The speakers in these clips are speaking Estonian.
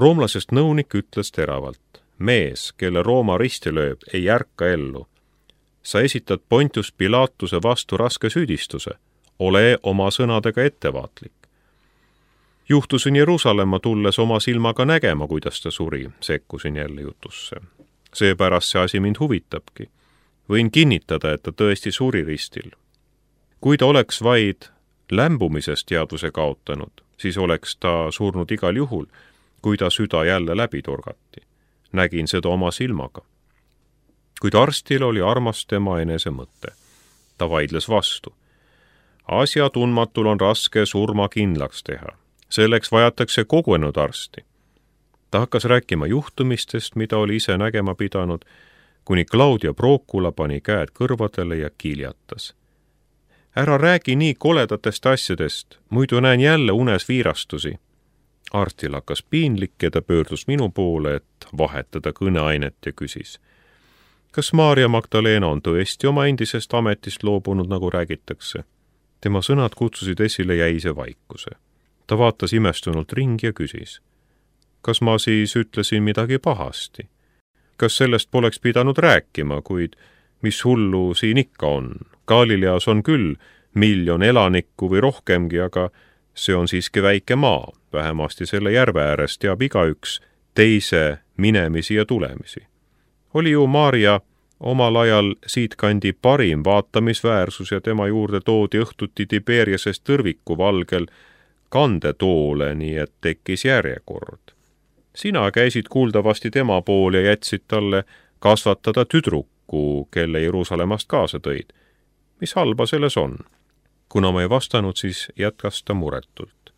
Roomlasest nõunik ütles teravalt: mees, kelle Rooma risti lööb, ei ärka ellu. Sa esitad Pontius Pilatuse vastu raske süüdistuse. Ole oma sõnadega ettevaatlik. Juhtusin Jeruusalemma tulles oma silmaga nägema, kuidas ta suri, sekkusin jälle jutusse. Seepärast see asi mind huvitabki. Võin kinnitada, et ta tõesti suri ristil. Kui ta oleks vaid lämbumisest teadvuse kaotanud, siis oleks ta surnud igal juhul, kui ta süda jälle läbi torgati. Nägin seda oma silmaga. Kuid arstil oli armas tema enese mõte. Ta vaidles vastu. Asja tundmatul on raske surma kindlaks teha. Selleks vajatakse kogunenud arsti. Ta hakkas rääkima juhtumistest, mida oli ise nägema pidanud, kuni Claudia Procula pani käed kõrvadele ja kiljatas. Ära räägi nii koledatest asjadest, muidu näen jälle unes viirastusi. Arstil hakkas piinlik ja ta pöördus minu poole, et vahetada kõneainet ja küsis. Kas Maarja Magdalena on tõesti oma endisest ametist loobunud, nagu räägitakse? Tema sõnad kutsusid esile jäise vaikuse. Ta vaatas imestunult ringi ja küsis. Kas ma siis ütlesin midagi pahasti? Kas sellest poleks pidanud rääkima, kuid mis hullu siin ikka on? Galileas on küll 1 miljon elanikku või rohkemgi, aga see on siiski väike maa. Vähemasti selle järve ääres teab igaüks teise minemisi ja tulemisi. Oli ju Maarja omal ajal siitkandi parim vaatamisväärsus ja tema juurde toodi õhtuti Tiberiasest tõrviku valgel kandetoole, nii et tekkis järjekord. Sina käisid kuuldavasti tema pool ja jätsid talle kasvatada tüdruku, kelle Jeruusalemmast kaasa tõid. Mis halba selles on? Kuna ma ei vastanud, siis jätkas ta muretult.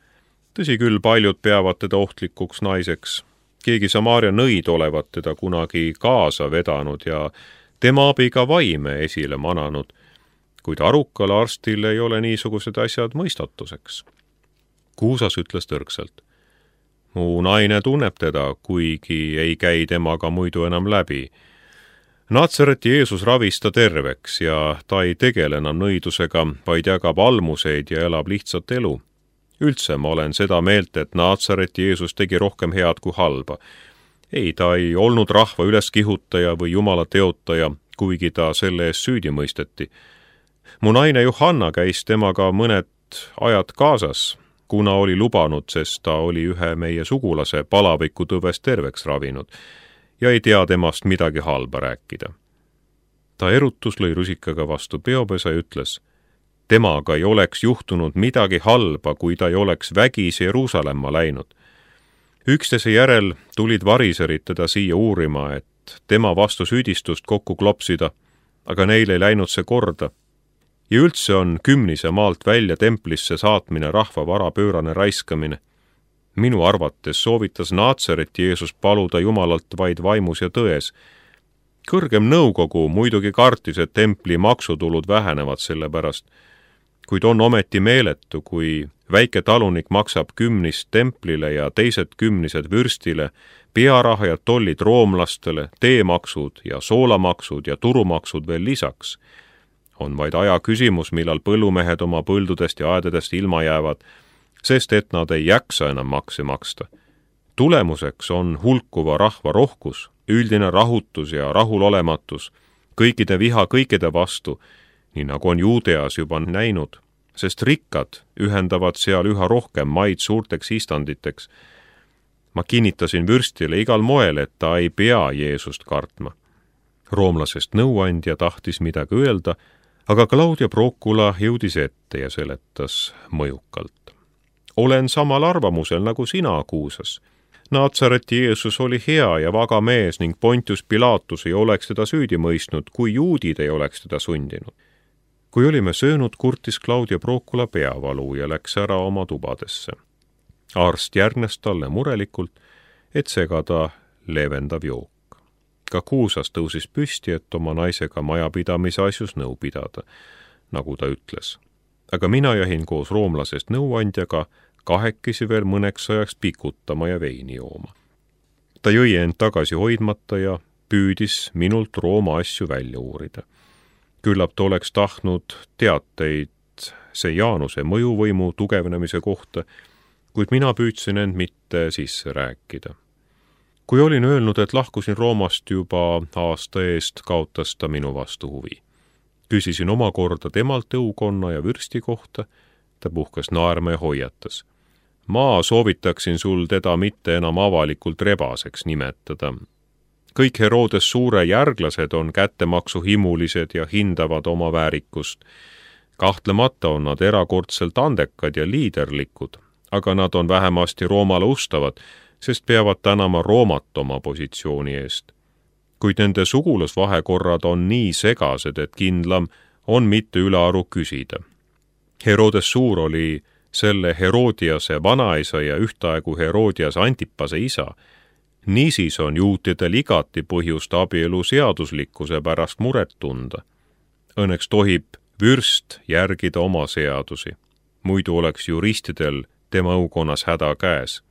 Tõsi küll, paljud peavad teda ohtlikuks naiseks. Keegi Samaaria nõid olevat teda kunagi kaasa vedanud ja tema abiga vaime esile mananud, kuid arukale arstil ei ole niisugused asjad mõistatuseks. Kuusas ütles tõrgselt. Mu naine tunneb teda, kuigi ei käi temaga muidu enam läbi. Natsareti Jeesus ravis ta terveks ja ta ei tegele enam nõidusega, vaid jagab almuseid ja elab lihtsat elu. Üldse ma olen seda meelt, et Natsareti Jeesus tegi rohkem head kui halba. Ei, ta ei olnud rahva üleskihutaja või jumala teotaja, kuigi ta selle eest süüdi mõisteti. Mu naine Johanna käis temaga mõned ajad kaasas, kuna oli lubanud, sest ta oli ühe meie sugulase palavikutööst terveks ravinud ja ei tea temast midagi halba rääkida. Ta erutus lõi rusikaga vastu peopesa ja ütles, temaga ei oleks juhtunud midagi halba, kui ta ei oleks vägis Jeruusalemma läinud. Üksteise järel tulid variserid teda siia uurima, et tema vastu süüdistust kokku klopsida, aga neil ei läinud see korda. Ja üldse on Kümnise maalt välja templisse saatmine rahva vara pöörane raiskamine. Minu arvates soovitas Natsareti Jeesus paluda Jumalalt vaid vaimus ja tões. Kõrgem nõukogu muidugi kartis, et templi maksutulud vähenevad selle pärast, kuid on ometi meeletu, kui väike talunik maksab 10 templile ja teised 10 vürstile, pearaha ja tollid roomlastele, teemaksud ja soolamaksud ja turumaksud veel lisaks. On vaid aja küsimus, millal põllumehed oma põldudest ja aedadest ilma jäävad, sest et nad ei jaksa enam makse maksta. Tulemuseks on hulkuva rahva rohkus, üldine rahutus ja rahulolematus, kõikide viha kõikide vastu, nii nagu on Juudeas juba näinud, sest rikkad ühendavad seal üha rohkem maid suurteks istanditeks. Ma kinnitasin vürstile igal moel, et ta ei pea Jeesust kartma. Roomlasest nõuandja tahtis midagi öelda, aga Claudia Procula jõudis ette ja seletas mõjukalt. Olen samal arvamusel nagu sina, Kuusas. Natsareti Jeesus oli hea ja vaga mees ning Pontius Pilatus ei oleks teda süüdi mõistnud, kui juudid ei oleks teda sundinud. Kui olime söönud, kurtis Claudia Procula peavalu ja läks ära oma tubadesse. Arst järgnes talle murelikult, et segada leevendav jook. Ka Kuusas tõusis püsti, et oma naisega majapidamise asjus nõu pidada, nagu ta ütles. Aga mina jäin koos roomlasest nõuandjaga kahekesi veel mõneks ajaks pikutama ja veini jooma. Ta jõi end tagasi hoidmata ja püüdis minult Rooma asju välja uurida. Küllap ta oleks tahtnud teateid see Jaanuse mõjuvõimu tugevnemise kohta, kuid mina püüdsin end mitte sisse rääkida. Kui olin öelnud, et lahkusin Roomast juba aasta eest, kaotas ta minu vastu huvi. Küsisin omakorda temalt õukonna ja vürsti kohta, ta puhkas naerma ja hoiatas. Ma soovitaksin sul teda mitte enam avalikult rebaseks nimetada. Kõik Herodes suure järglased on kättemaksuhimulised ja hindavad oma väärikust. Kahtlemata on nad erakordselt andekad ja liiderlikud, aga nad on vähemasti Roomale ustavad, sest peavad tänama Roomat oma positsiooni eest. Kuid nende sugulasvahekorrad on nii segased, et kindlam on mitte ülearu küsida. Herodes Suur oli selle Herodiase vanaisa ja ühtaegu Herodias Antipase isa. Niisiis on juutidel igati põhjust abielu seaduslikkuse pärast muret tunda. Õnneks tohib vürst järgida oma seadusi. Muidu oleks juristidel tema õukonnas häda käes.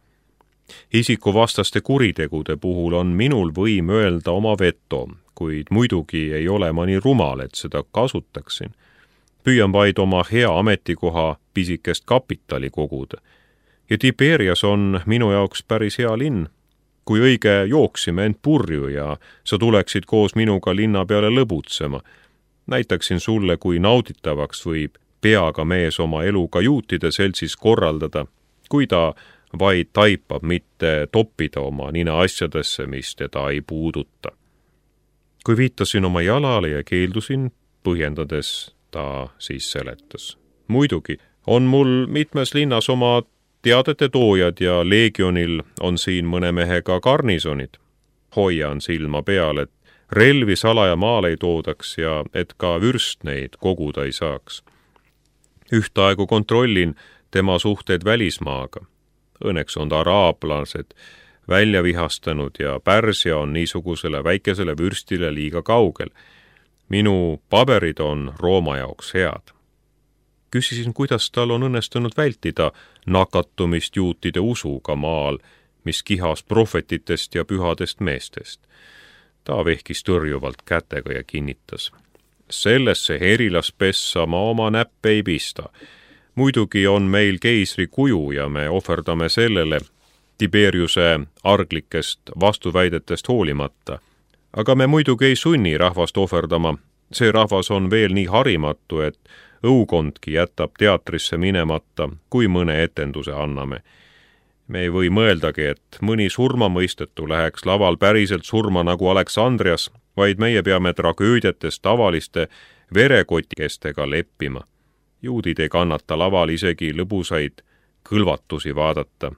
Isikuvastaste kuritegude puhul on minul võim öelda oma veto, kuid muidugi ei ole ma nii rumal, et seda kasutaksin. Püüan vaid oma hea ametikoha pisikest kapitali koguda. Ja Tiberias on minu jaoks päris hea linn. Kui õige jooksime end purju ja sa tuleksid koos minuga linna peale lõbutsema, näitaksin sulle, kui nauditavaks võib peaga mees oma eluga juutide seltsis korraldada, kui ta vaid taipab mitte toppida oma nina asjadesse, mis teda ei puuduta. Kui viitasin oma jalale ja keeldusin, põhjendades ta siis seletas. Muidugi on mul mitmes linnas oma teadete toojad ja leegionil on siin mõne mehega garnisonid. Hoian silma peal, et relvi salaja maale ei toodaks ja et ka vürst neid koguda ei saaks. Ühtaegu kontrollin tema suhteid välismaaga. Õnneks on ta araablased välja vihastanud ja Pärsia on niisugusele väikesele vürstile liiga kaugel. Minu paberid on Rooma jaoks head. Küsisin, kuidas tal on õnnestunud vältida nakatumist juutide usuga maal, mis kihas prohvetitest ja pühadest meestest. Ta vehkis tõrjuvalt kätega ja kinnitas. Sellesse herilaspessa ma oma näppe ei pista. Muidugi on meil keisri kuju ja me ohverdame sellele Tiberiuse arglikest vastuväidetest hoolimata. Aga me muidugi ei sunni rahvast ohverdama. See rahvas on veel nii harimatu, et õukondki jätab teatrisse minemata, kui mõne etenduse anname. Me ei või mõeldagi, et mõni surmamõistetu läheks laval päriselt surma nagu Aleksandrias, vaid meie peame tragöödiates tavaliste verekotikestega leppima. Juudid ei kannata laval isegi lõbusaid kõlvatusi vaadata.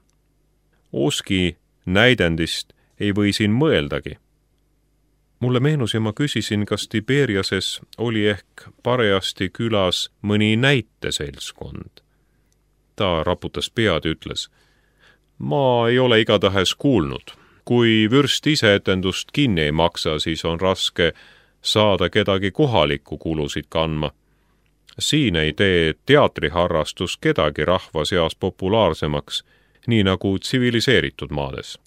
Oski näidendist ei või siin mõeldagi. Mulle meenus ja ma küsisin, kas Tiberiases oli ehk parajasti külas mõni näiteseltskond. Ta raputas pead ja ütles, ma ei ole igatahes kuulnud. Kui vürst ise etendust kinni ei maksa, siis on raske saada kedagi kohalikku kulusid kandma. Siin ei tee teatriharrastus kedagi rahva seas populaarsemaks, nii nagu tsiviliseeritud maades.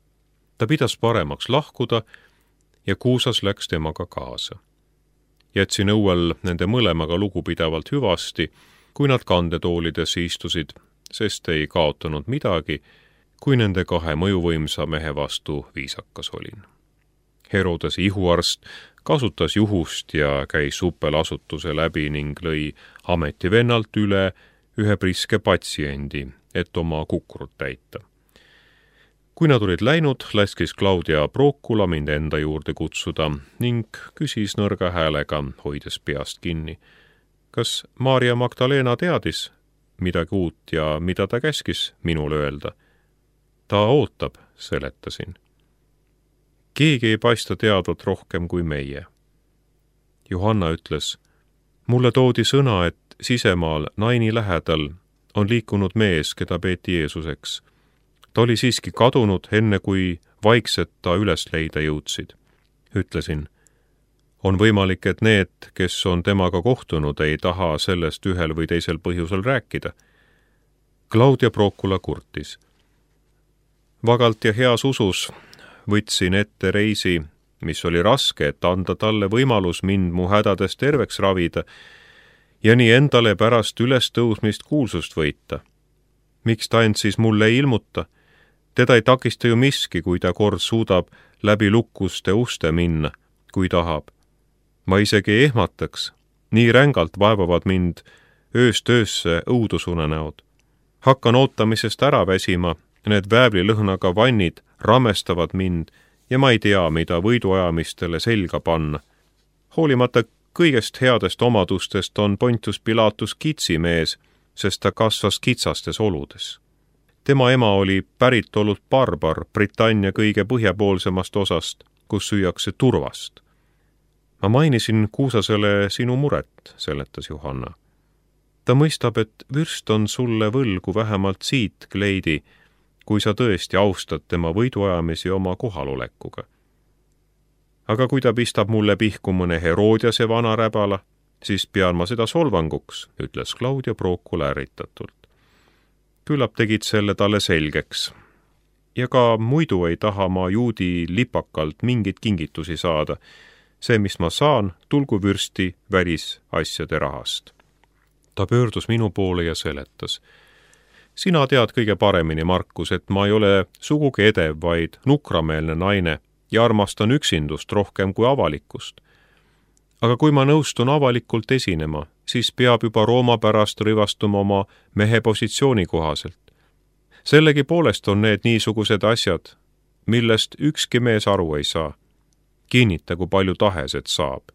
Ta pidas paremaks lahkuda ja Kuusas läks temaga kaasa. Jätsin õuel nende mõlemaga lugupidavalt hüvasti, kui nad kandetoolidesse istusid, sest ei kaotanud midagi, kui nende kahe mõjuvõimsa mehe vastu viisakas olin. Herodes ihuarst kasutas juhust ja käis suppelasutuse läbi ning lõi ametivennalt üle ühe priske patsiendi, et oma kukrut täita. Kui nad olid läinud, laskis Claudia Procula mind enda juurde kutsuda ning küsis nõrga häälega, hoides peast kinni. Kas Maria Magdalena teadis midagi uut ja mida ta käskis minule öelda? Ta ootab, seletasin. Keegi ei paista teadvat rohkem kui meie. Johanna ütles, mulle toodi sõna, et sisemaal Naini lähedal on liikunud mees, keda peeti Jeesuseks. Ta oli siiski kadunud, enne kui vaikselt ta üles leida jõudsid. Ütlesin, on võimalik, et need, kes on temaga kohtunud, ei taha sellest ühel või teisel põhjusel rääkida. Claudia Procula kurtis. Vagalt ja heas usus võtsin ette reisi, mis oli raske, et anda talle võimalus mind mu hädades terveks ravida ja nii endale pärast ülestõusmist kuulsust võita. Miks ta end siis mulle ei ilmuta? Teda ei takista ju miski, kui ta kord suudab läbi lukuste uste minna, kui tahab. Ma isegi ei ehmataks, nii rängalt vaevavad mind ööst öösse õudusunenäod. Hakkan ootamisest ära väsima, need väävlilõhnaga vannid ramestavad mind ja ma ei tea, mida võiduajamistele selga panna. Hoolimata kõigest headest omadustest on Pontius Pilatus kitsimees, sest ta kasvas kitsastes oludes. Tema ema oli päritolult barbar Britannia kõige põhjapoolsemast osast, kus süüakse turvast. Ma mainisin Kuusasele sinu muret, seletas Johanna. Ta mõistab, et vürst on sulle võlgu vähemalt siit kleidi, kui sa tõesti austad tema võiduajamisi oma kohalolekuga. Aga kui ta pistab mulle pihku mõne Herodiase vana räbala, siis pean ma seda solvanguks, ütles Claudia Procul ärritatult. Küllap tegid selle talle selgeks. Ja ka muidu ei taha ma juudi lipakalt mingit kingitusi saada. See, mis ma saan, tulgu vürsti välisasjade rahast. Ta pöördus minu poole ja seletas. Sina tead kõige paremini, Markus, et ma ei ole sugugi edev, vaid nukrameelne naine ja armastan üksindust rohkem kui avalikkust. Aga kui ma nõustun avalikult esinema, siis peab juba Rooma pärast rivastuma oma mehe positsiooni kohaselt. Sellegi poolest on need niisugused asjad, millest ükski mees aru ei saa. Kinnita, kui palju tahes, et saab.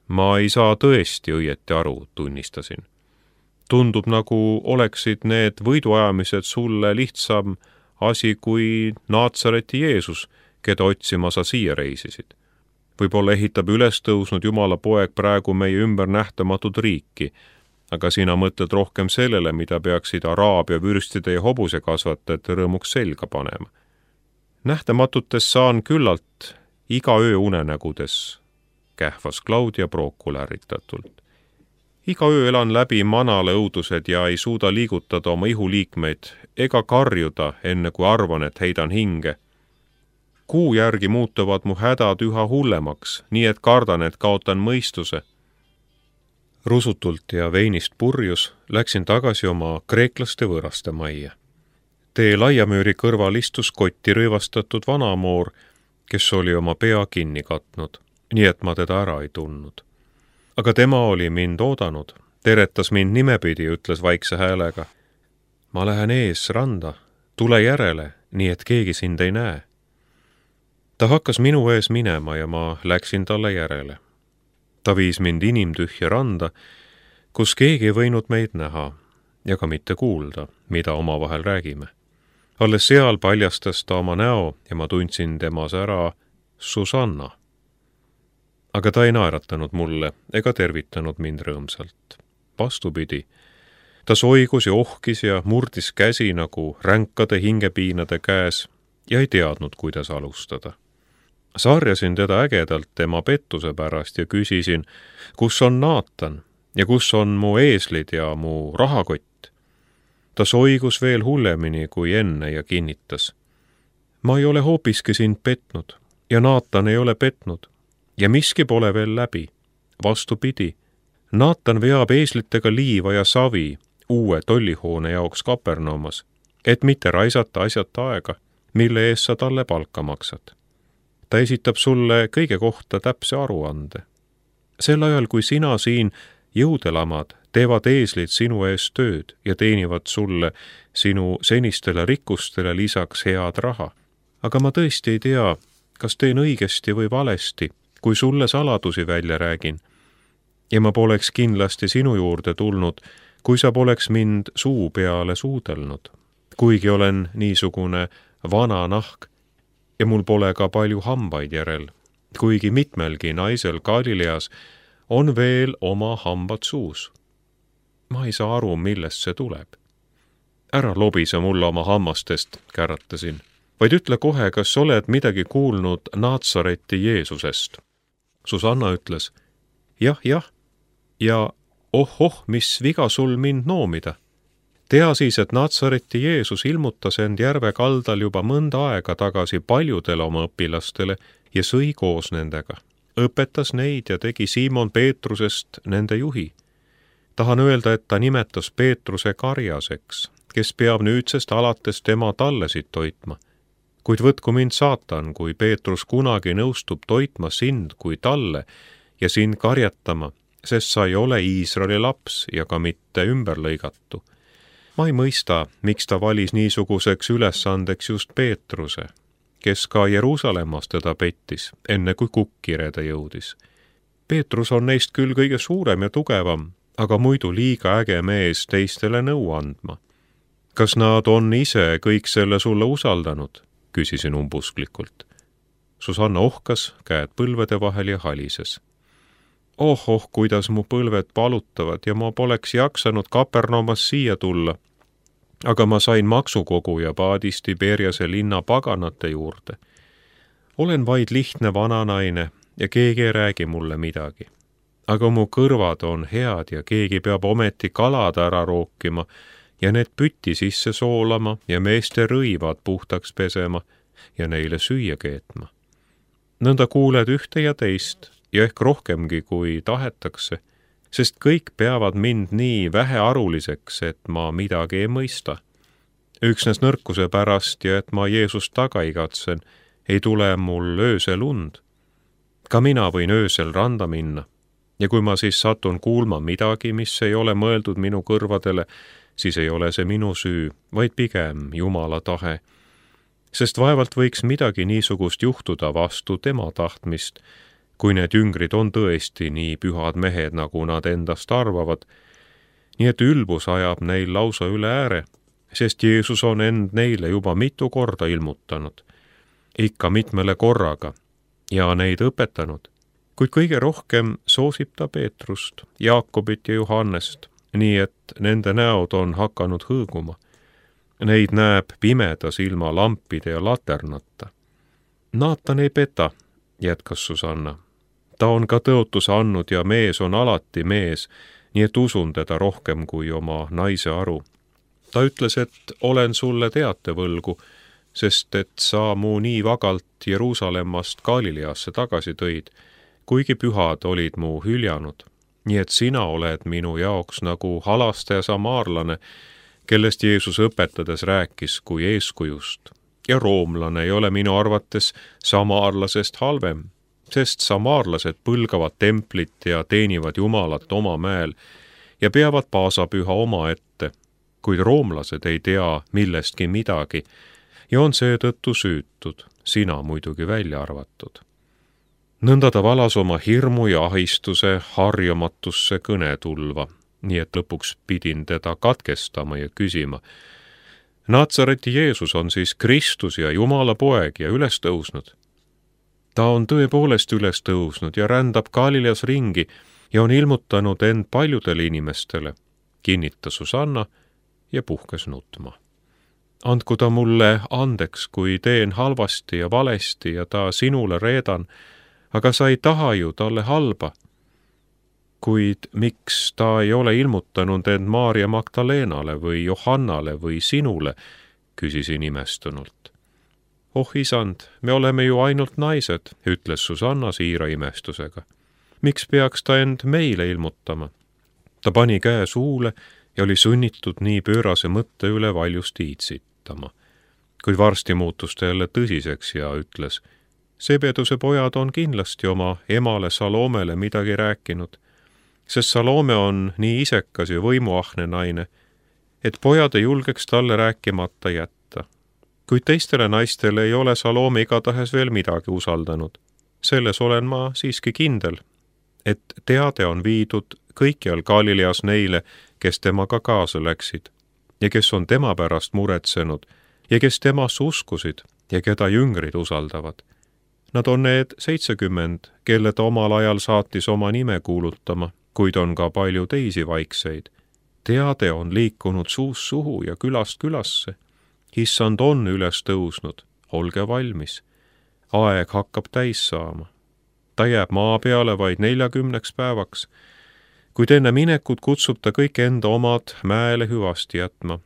Ma ei saa tõesti õieti aru, tunnistasin. Tundub, nagu oleksid need võiduajamised sulle lihtsam asi kui Naatsareti Jeesus, keda otsima sa siia reisisid. Võib-olla ehitab üles tõusnud Jumala poeg praegu meie ümber nähtamatut riiki, aga sina mõtled rohkem sellele, mida peaksid Araabia vürstide ja hobusekasvatajate rõõmuks selga panema. Nähtamatutes saan küllalt iga öö unenägudes, kähvas Claudia Procul ärritatult. Iga öö elan läbi manale õudused ja ei suuda liigutada oma ihuliikmeid ega karjuda, enne kui arvan, et heidan hinge. Kuu järgi muutuvad mu hädad üha hullemaks, nii et kardan, et kaotan mõistuse. Rusutult ja veinist purjus läksin tagasi oma kreeklaste võõraste majja. Tee laiamööri kõrval istus kotti rõivastatud vanamoor, kes oli oma pea kinni katnud, nii et ma teda ära ei tundnud. Aga tema oli mind oodanud, teretas mind nimepidi, ütles vaikse häälega. Ma lähen ees randa, tule järele, nii et keegi sind ei näe. Ta hakkas minu ees minema ja ma läksin talle järele. Ta viis mind inimtühja randa, kus keegi ei võinud meid näha ja ka mitte kuulda, mida omavahel räägime. Alles seal paljastas ta oma näo ja ma tundsin temas ära Susanna. Aga ta ei naeratanud mulle ega tervitanud mind rõõmsalt. Vastupidi, ta soigus ja ohkis ja murdis käsi nagu ränkade hingepiinade käes ja ei teadnud, kuidas alustada. Sarjasin teda ägedalt tema pettuse pärast ja küsisin, kus on Naatan ja kus on mu eeslid ja mu rahakott. Ta soigus veel hullemini kui enne ja kinnitas. Ma ei ole hoopiski sind petnud ja Naatan ei ole petnud ja miski pole veel läbi. Vastupidi, Naatan veab eeslitega liiva ja savi uue tollihoone jaoks Kapernaumas, et mitte raisata asjata aega, mille eest sa talle palka maksad. Ta esitab sulle kõige kohta täpse aruande. Sel ajal, kui sina siin jõudelamad, teevad eeslid sinu eest tööd ja teenivad sulle sinu senistele rikkustele lisaks head raha. Aga ma tõesti ei tea, kas teen õigesti või valesti, kui sulle saladusi välja räägin. Ja ma poleks kindlasti sinu juurde tulnud, kui sa poleks mind suu peale suudelnud. Kuigi olen niisugune vana nahk ja mul pole ka palju hambaid järel, kuigi mitmelgi naisel Galileas on veel oma hambad suus. Ma ei saa aru, millest see tuleb. Ära lobise mulle oma hammastest, käratasin, vaid ütle kohe, kas oled midagi kuulnud Naatsareti Jeesusest. Susanna ütles, jah, ja oh, mis viga sul mind noomida. Tea siis, et Naatsareti Jeesus ilmutas end järve kaldal juba mõnda aega tagasi paljudele oma õpilastele ja sõi koos nendega. Õpetas neid ja tegi Siimon Peetrusest nende juhi. Tahan öelda, et ta nimetas Peetruse karjaseks, kes peab nüüdsest alates tema tallesid toitma. Kuid võtku mind saatan, kui Peetrus kunagi nõustub toitma sind kui talle ja sind karjatama, sest sa ei ole Iisraeli laps ja ka mitte ümberlõigatu. Ma ei mõista, miks ta valis niisuguseks ülesandeks just Peetruse, kes ka Jeruusalemmas teda pettis, enne kui kukkirede jõudis. Peetrus on neist küll kõige suurem ja tugevam, aga muidu liiga äge mees teistele nõu andma. Kas nad on ise kõik selle sulle usaldanud? Küsisin umbusklikult. Susanna ohkas, käed põlvede vahel ja halises. Oh, kuidas mu põlved palutavad ja ma poleks jaksanud Kapernaumast siia tulla. Aga ma sain maksukoguja paadis Tiberiase linna paganate juurde. Olen vaid lihtne vananaine ja keegi ei räägi mulle midagi. Aga mu kõrvad on head ja keegi peab ometi kalad ära rookima ja need pütti sisse soolama ja meeste rõivad puhtaks pesema ja neile süüa keetma. Nõnda kuuled ühte ja teist ja ehk rohkemgi kui tahetakse, sest kõik peavad mind nii vähearuliseks, et ma midagi ei mõista. Üksnes nõrkuse pärast ja et ma Jeesust taga igatsen, ei tule mul öösel und. Ka mina võin öösel randa minna ja kui ma siis satun kuulma midagi, mis ei ole mõeldud minu kõrvadele, siis ei ole see minu süü, vaid pigem Jumala tahe. Sest vaevalt võiks midagi niisugust juhtuda vastu tema tahtmist, kui need jüngrid on tõesti nii pühad mehed, nagu nad endast arvavad. Nii et ülbus ajab neil lausa üle ääre, sest Jeesus on end neile juba mitu korda ilmutanud, ikka mitmele korraga, ja neid õpetanud. Kuid kõige rohkem soosib ta Peetrust, Jaakobit ja Johannest, nii et nende näod on hakanud hõõguma. Neid näeb pimedas ilma lampide ja laternata. Naatan ei peta, jätkas Susanna. Ta on ka tõotuse andnud ja mees on alati mees, nii et usun teda rohkem kui oma naise aru. Ta ütles, et olen sulle teate võlgu, sest et sa mu nii vagalt Jeruusalemmast Galileasse tagasi tõid, kuigi pühad olid mu hüljanud. Nii et sina oled minu jaoks nagu halastaja samaarlane, kellest Jeesus õpetades rääkis kui eeskujust. Ja roomlane ei ole minu arvates samaarlasest halvem, sest samaarlased põlgavad templit ja teenivad Jumalat oma mäel ja peavad paasapüha oma ette, kuid roomlased ei tea millestki midagi ja on seetõttu süütud, sina muidugi välja arvatud. Nõnda ta valas oma hirmu ja ahistuse harjamatusse kõnetulva, nii et lõpuks pidin teda katkestama ja küsima. Natsareti Jeesus on siis Kristus ja Jumala poeg ja üles tõusnud. Ta on tõepoolest üles tõusnud ja rändab Galileas ringi ja on ilmutanud end paljudele inimestele, kinnitas Susanna ja puhkes nutma. Andku ta mulle andeks, kui teen halvasti ja valesti ja ta sinule reedan, aga sa ei taha ju talle halba. Kuid miks ta ei ole ilmutanud end Maarja Magdalenale või Johannale või sinule, küsisin imestunult. Oh isand, me oleme ju ainult naised, ütles Susanna siira imestusega. Miks peaks ta end meile ilmutama? Ta pani käe suule ja oli sunnitud nii pöörase mõtte üle valjust iitsitama. Kuid varsti muutus ta jälle tõsiseks ja ütles, Sebeduse pojad on kindlasti oma emale Salomele midagi rääkinud, sest Salome on nii isekas ja võimuahne naine, et pojad ei julgeks talle rääkimata jätta. Kuid teistele naistele ei ole Salome igatahes veel midagi usaldanud. Selles olen ma siiski kindel, et teade on viidud kõikjal Galileas neile, kes temaga kaasa läksid ja kes on tema pärast muretsenud ja kes temasse uskusid ja keda jüngrid usaldavad. Nad on need 70, kelle ta omal ajal saatis oma nime kuulutama, kuid on ka palju teisi vaikseid. Teade on liikunud suust suhu ja külast külasse. Issand on üles tõusnud, olge valmis. Aeg hakkab täis saama. Ta jääb maa peale vaid 40 päevaks, kuid enne minekut kutsub ta kõik enda omad mäele hüvasti jätma.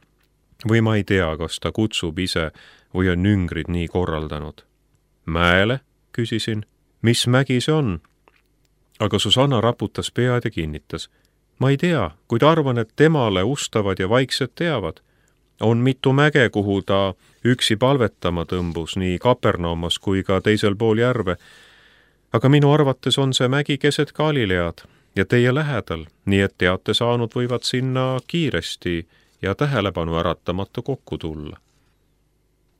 Või ma ei tea, kas ta kutsub ise või on jüngrid nii korraldanud. Mäele? Küsisin, mis mägi see on? Aga Susanna raputas pead ja kinnitas. Ma ei tea, kuid arvan, et temale ustavad ja vaiksed teavad. On mitu mäge, kuhu ta üksi palvetama tõmbus nii Kapernaumas kui ka teisel pool järve, aga minu arvates on see mägi keset Galilead ja teie lähedal, nii et teate saanud võivad sinna kiiresti ja tähelepanu äratamata kokku tulla.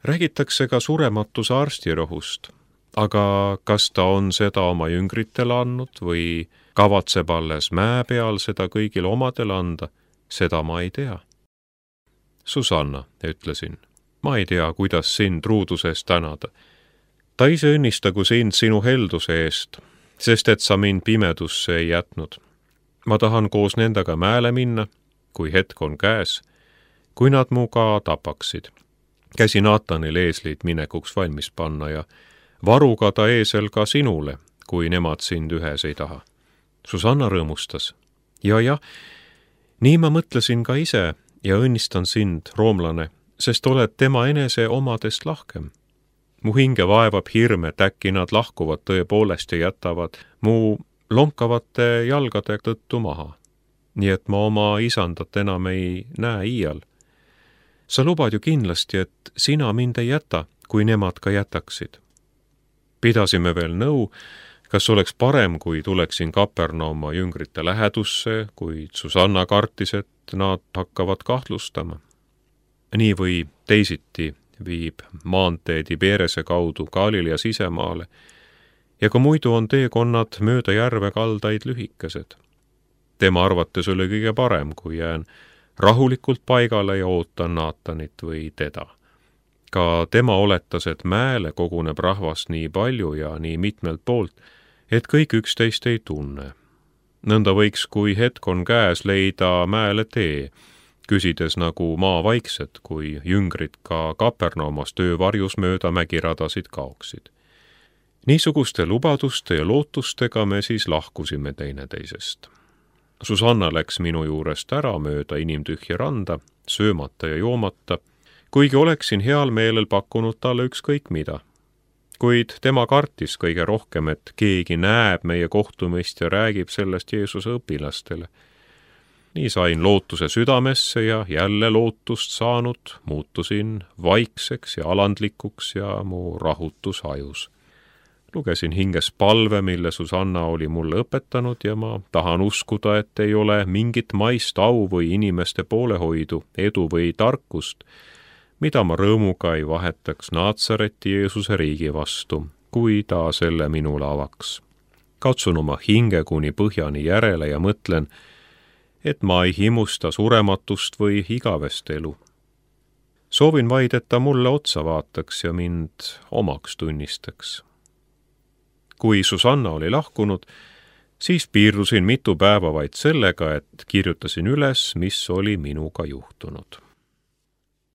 Räägitakse ka surematuse arstirohust, aga kas ta on seda oma jüngritele andnud või kavatseb alles mäe peal seda kõigile omadele anda, seda ma ei tea. Susanna, ütlesin, ma ei tea, kuidas sind ruuduse eest tänada. Ta ise õnnistagu sind sinu helduse eest, sest et sa mind pimedusse ei jätnud. Ma tahan koos nendega mäele minna, kui hetk on käes, kui nad mu ka tapaksid. Käsi Naatanil eeslid minekuks valmis panna ja varuga ta eesel ka sinule, kui nemad sind ühes ei taha. Susanna rõõmustas. Ja, nii ma mõtlesin ka ise ja õnnistan sind, roomlane, sest oled tema enese omadest lahkem. Mu hinge vaevab hirm, et äkki nad lahkuvad tõepoolest ja jätavad mu lonkavate jalgade tõttu maha. Nii et ma oma isandat enam ei näe iial. Sa lubad ju kindlasti, et sina mind ei jäta, kui nemad ka jätaksid. Pidasime veel nõu, kas oleks parem, kui tuleksin Kapernauma jüngrite lähedusse, kuid Susanna kartis, et nad hakkavad kahtlustama. Nii või teisiti viib maantee Tiberese kaudu Galilea sisemaale ja ka muidu on teekonnad mööda järve kaldaid lühikesed. Tema arvates oli kõige parem, kui jään rahulikult paigale ja ootan Naatanit või teda. Ka tema oletas, et mäele koguneb rahvast nii palju ja nii mitmelt poolt, et kõik üksteist ei tunne. Nõnda võiks, kui hetk on käes, leida mäele tee, küsides nagu maa vaikset, kui jüngrid ka Kapernaumas töövarjus mööda mägiradasid kaoksid. Niisuguste lubaduste ja lootustega me siis lahkusime teineteisest. Susanna läks minu juurest ära mööda inimtühja randa, söömata ja joomata, kuigi oleksin heal meelel pakkunud talle ükskõik mida. Kuid tema kartis kõige rohkem, et keegi näeb meie kohtumist ja räägib sellest Jeesuse õpilastele. Nii sain lootuse südamesse ja jälle lootust saanud, muutusin vaikseks ja alandlikuks ja mu rahutus hajus. Lugesin hinges palve, mille Susanna oli mulle õpetanud ja ma tahan uskuda, et ei ole mingit maist au või inimeste poolehoidu, edu või tarkust, mida ma rõõmuga ei vahetaks Naatsareti Jeesuse riigi vastu, kui ta selle minule avaks. Katsun oma hinge kuni põhjani järele ja mõtlen, et ma ei himusta surematust või igavest elu. Soovin vaid, et ta mulle otsa vaataks ja mind omaks tunnistaks. Kui Susanna oli lahkunud, siis piirdusin mitu päeva vaid sellega, et kirjutasin üles, mis oli minuga juhtunud.